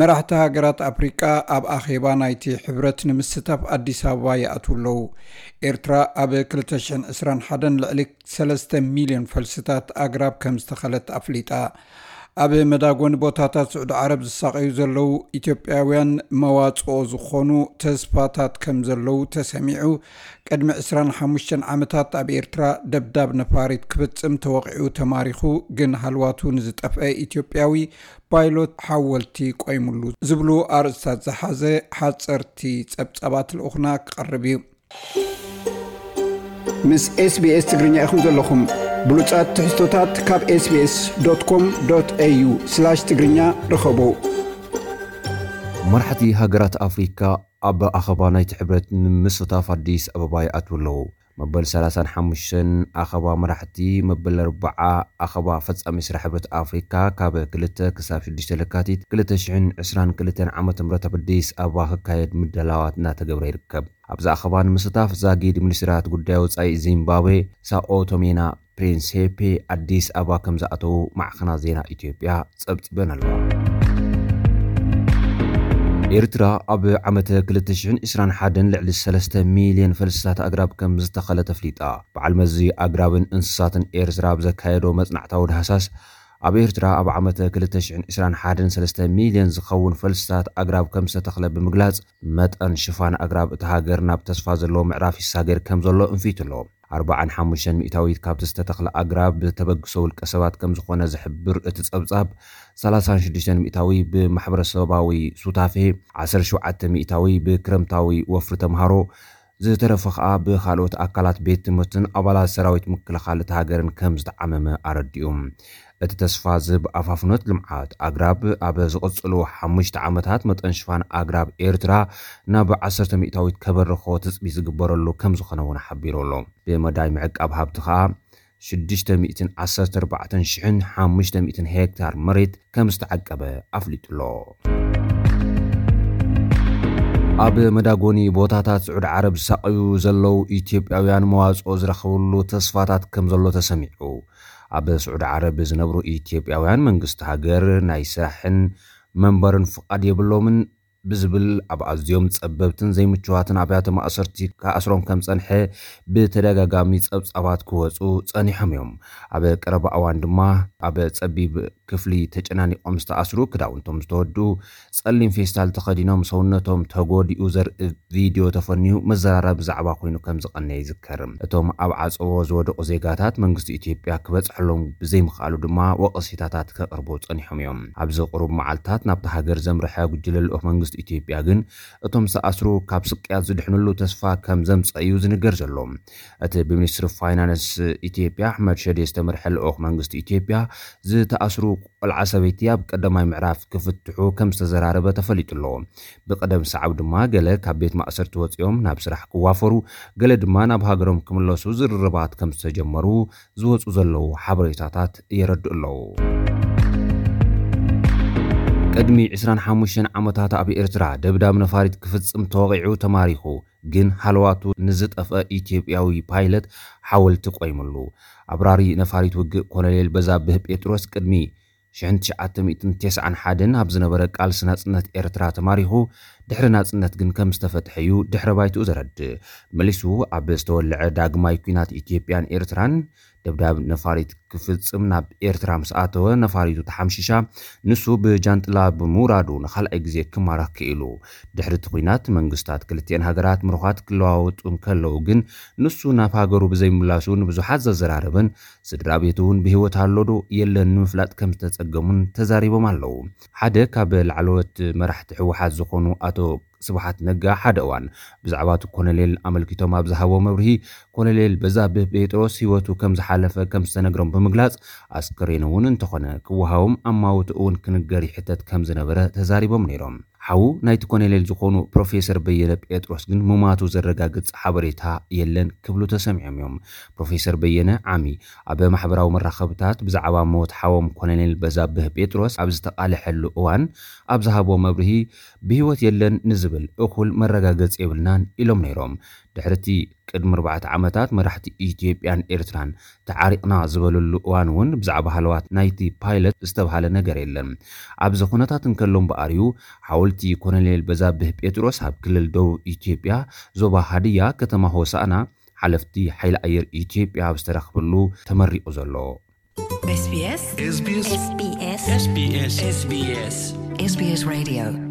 መራሕቲ ሃገራት ኣፍሪቃ ኣብ ኣኼባ ናይቲ ሕብረት ንምስታፍ ኣዲስ ኣበባ ይኣትዉ ኣለዉ። ኤርትራ ኣብ ክልተ ሽሕን ዕስራን ሓደን ልዕሊ ሰለስተ ሚልዮን ፈልስታት ኣግራብ ከም ዝተኸለት ኣፍሊጣ። ኣብ መዳጎኒ ቦታታት ስዑዲ ዓረብ ዝሳቐዩ ዘለዉ ኢትዮጵያውያን መዋጽኦ ዝኾኑ ተስፋታት ከም ዘለዉ ተሰሚዑ። ቅድሚ ዕስራን ሓሙሽተን ዓመታት ኣብ ኤርትራ ደብዳብ ነፋሪት ክፍጽም ተወቒዑ ተማሪኹ፣ ግን ሃልዋቱ ንዝጠፍአ ኢትዮጵያዊ ፓይሎት ሓወልቲ ቆይሙሉ ዝብሉ ኣርእስታት ዝሓዘ ሓጸርቲ ጸብጻባት ልኡኽና ክቐርብ እዩ። ምስ ኤስቢኤስ ትግርኛ ኢኹም ዘለኹም። ብሉጻት ትሕዝቶታት ካብ ኤስቢኤስ ዶት ኮም ዶት ኤዩ ስላሽ ትግርኛ ርኸቡ። መራሕቲ ሃገራት ኣፍሪካ ኣብ ኣኸባ ናይቲ ሕብረት ንምስታፍ ኣዲስ ኣበባ ይኣትዉ ኣለዉ። መበል ሰላሳን ሓሙሽተን ኣኸባ መራሕቲ፣ መበል ኣርብዓ ኣኸባ ፈጻሚ ስራሕ ሕብረት ኣፍሪካ ካብ ክልተ ክሳብ ሽዱሽተ ለካቲት ክልተ ሽሕን ዕስራን ክልተን ዓመተ ምህረት ኣብ ኣዲስ ኣበባ ክካየድ ምድላዋት እናተገብረ ይርከብ። ኣብዚ ኣኸባ ንምስታፍ ዛጊድ ሚኒስትራት ጉዳይ ወጻኢ ዚምባብዌ ሳኦ ቶሜና ፕሪንሴፔ ኣዲስ ኣበባ ከም ዝኣተዉ ማዕኸናት ዜና ኢትዮጵያ ጸብጺበን ኣለዋ። ኤርትራ ኣብ ዓመተ ክልተ ሽሕን ዕስራን ሓደን ልዕሊ ሰለስተ ሚልዮን ፈልስታት ኣግራብ ከም ዝተኸለት ኣፍሊጣ። በዓል መዚ ኣግራብን እንስሳትን ኤርትራ ኣብ ዘካየዶ መጽናዕታዊ ዳህሳስ፣ ኣብ ኤርትራ ኣብ ዓመተ ክልተ ሽሕን ዕስራን ሓደን ሰለስተ ሚልዮን ዝኸውን ፈልስታት ኣግራብ ከም ዝተተኽለ ብምግላጽ፣ መጠን ሽፋን ኣግራብ እታ ሃገር ናብ ተስፋ ዘለዎ ምዕራፍ ይሳገር ከም ዘሎ እንፊቱ ኣሎ። ኣርባዓን ሓሙሽተን ሚእታዊት ካብቲ ዝተተኽለ ኣግራብ ብተበግሶ ውልቀ ሰባት ከም ዝኾነ ዝሕብር እቲ ጸብጻብ፣ ሰላሳን ሽዱሽተን ሚእታዊ ብማሕበረሰባዊ ሱታፌ፣ ዓሰርተ ሸውዓተ ሚእታዊ ብክረምታዊ ወፍሪ ተምሃሮ፣ ዝተረፈ ኸኣ ብኻልኦት ኣካላት ቤት ትምህርትን ኣባላት ሰራዊት ምክልኻል እታ ሃገርን ከም ዝተዓመመ ኣረዲኡ። እቲ ተስፋ ዝህብ ኣፋፍኖት ልምዓት ኣግራብ ኣብ ዝቕጽሉ ሓሙሽተ ዓመታት መጠን ሽፋን ኣግራብ ኤርትራ ናብ ዓሰርተ ሚእታዊት ከበርኾ ትጽቢት ዝግበረሉ ከም ዝኾነ እውን ሓቢሩ ኣሎ። ብመዳይ ምዕቃብ ሃብቲ ኸኣ ሽዱሽተ ሚእትን ዓሰርተ ኣርባዕተን ሽሕን ሓሙሽተ ሚእትን ሄክታር መሬት ከም ዝተዓቀበ ኣፍሊጡ ኣሎ። ኣብ መዳጎኒ ቦታታት ስዑዲ ዓረብ ዝሳቐዩ ዘለዉ ኢትዮጵያውያን መዋጽኦ ዝረኽብሉ ተስፋታት ከም ዘሎ ተሰሚዑ። ኣብ ስዑዲ ዓረብ ዝነብሩ ኢትዮጵያውያን መንግስቲ ሃገር ናይ ስራሕን መንበርን ፍቓድ የብሎምን ብዝብል ኣብ ኣዝዮም ጸበብትን ዘይምችዋትን ኣብያተ ማእሰርቲ ክኣስሮም ከም ጸንሐ ብተደጋጋሚ ጸብጻባት ክወጹ ጸኒሖም እዮም። ኣብ ቀረባ እዋን ድማ ኣብ ጸቢብ ክፍሊ ተጨናኒቖም ዝተኣስሩ፣ ክዳውንቶም ዝተወድኡ፣ ጸሊም ፌስታል ተኸዲኖም ሰውነቶም ተጎዲኡ ዘርኢ ቪድዮ ተፈንዩ መዘራረቢ ዛዕባ ኮይኑ ከም ዝቐነየ ይዝከር። እቶም ኣብ ዓጸቦ ዝወደቑ ዜጋታት መንግስቲ ኢትዮጵያ ክበጽሐሎም ብዘይምኽኣሉ ድማ ወቐሴታታት ከቕርቡ ጸኒሖም እዮም። ኣብዚ ቁሩብ መዓልታት ናብታ ሃገር ዘምርሐ ጉጅለ ልኡኽ መንግስቲ ኢትዮጵያ ግን እቶም ዝተኣስሩ ካብ ስቅያት ዝድሕንሉ ተስፋ ከም ዘምጸ እዩ ዝንገር ዘሎ። እቲ ብሚኒስትሪ ፋይናንስ ኢትዮጵያ ኣሕመድ ሸዴ ዝተመርሐ ልኡኽ መንግስቲ ኢትዮጵያ ዝተኣስሩ ቆልዓ ሰበይቲ ኣብ ቀዳማይ ምዕራፍ ክፍትሑ ከም ዝተዘራረበ ተፈሊጡ ኣሎ። ብቐደም ሰዓብ ድማ ገለ ካብ ቤት ማእሰርቲ ወጺኦም ናብ ስራሕ ክዋፈሩ፣ ገለ ድማ ናብ ሃገሮም ክምለሱ ዝርርባት ከም ዝተጀመሩ ዝወጹ ዘለዉ ሓበሬታታት የረድኡ ኣለዉ። ቅድሚ ዕስራን ሓሙሽተን ዓመታት ኣብ ኤርትራ ደብዳብ ነፋሪት ክፍጽም ተወቒዑ ተማሪኹ፣ ግን ሃለዋቱ ንዝጠፍአ ኢትዮጵያዊ ፓይለት ሓወልቲ ቆይሙሉ። ኣብራሪ ነፋሪት ውግእ ኮሎኔል በዛብህ ጴጥሮስ ቅድሚ ሽሕን ትሽዓተ ሚእትን ተስዓን ሓደን ኣብ ዝነበረ ቃልሲ ናጽነት ኤርትራ ተማሪኹ፣ ድሕሪ ናጽነት ግን ከም ዝተፈትሐ እዩ ድሕረ ባይትኡ ዘረድእ። መሊሱ ኣብ ዝተወልዐ ዳግማይ ኲናት ኢትዮጵያን ኤርትራን ደብዳብ ነፋሪት ክፍጽም ናብ ኤርትራ ምስ ኣተወ፣ ነፋሪቱ ተሓምሺሻ፣ ንሱ ብጃንጥላ ብምውራዱ ንኻልኣይ ግዜ ክማረኽ ክኢሉ። ድሕሪ እቲ ኲናት መንግስታት ክልቲኤን ሃገራት ምሩኻት ክለዋወጡ እንከለዉ ግን፣ ንሱ ናብ ሃገሩ ብዘይምላሱ ንብዙሓት ዘዘራረበን ስድራ ቤቱ እውን ብህይወት ኣሎ ዶ የለን ንምፍላጥ ከም ዝተጸገሙን ተዛሪቦም ኣለዉ። ሓደ ካብ ላዕለዎት መራሕቲ ህወሓት ዝኾኑ ኣቶ ስብሓት ነጋ ሓደ እዋን ብዛዕባ እቲ ኮሎኔል ኣመልኪቶም ኣብ ዝሃቦ መብርሂ፣ ኮሎኔል በዛብህ ጴጥሮስ ህይወቱ ከም ዝሓለፈ ከም ዝተነግሮም ብምግላጽ፣ ኣስከሬኑ እውን እንተኾነ ክወሃቦም ኣማውትኡ እውን ክንገር ይሕተት ከም ዝነበረ ተዛሪቦም ነይሮም። ሓዉ ናይቲ ኮሎኔል ዝኾኑ ፕሮፌሰር በየነ ጴጥሮስ ግን ምማቱ ዘረጋግጽ ሓበሬታ የለን ክብሉ ተሰሚዖም እዮም። ፕሮፌሰር በየነ ዓሚ ኣብ ማሕበራዊ መራኸብታት ብዛዕባ ሞት ሓዎም ኮሎኔል በዛብህ ጴጥሮስ ኣብ ዝተቓልሐሉ እዋን ኣብ ዝሃቦ መብርሂ፣ ብህይወት የለን ንዝብል እኹል መረጋገፂ የብልናን ኢሎም ነይሮም። ድሕርቲ ቅድሚ ኣርባዕተ ዓመታት መራሕቲ ኢትዮጵያን ኤርትራን ተዓሪቕና ዝበለሉ እዋን እውን ብዛዕባ ሃለዋት ናይቲ ፓይለት ዝተብሃለ ነገር የለን። ኣብዚ ኩነታት እንከሎ እምበኣር እዩ ሓወልቲ ኮሎኔል በዛብህ ጴጥሮስ ኣብ ክልል ደቡብ ኢትዮጵያ ዞባ ሃድያ ከተማ ሆሳዕና ሓለፍቲ ሓይሊ ኣየር ኢትዮጵያ ኣብ ዝተረኽበሉ ተመሪቑ ዘሎ። SBS SBS SBS SBS SBS Radio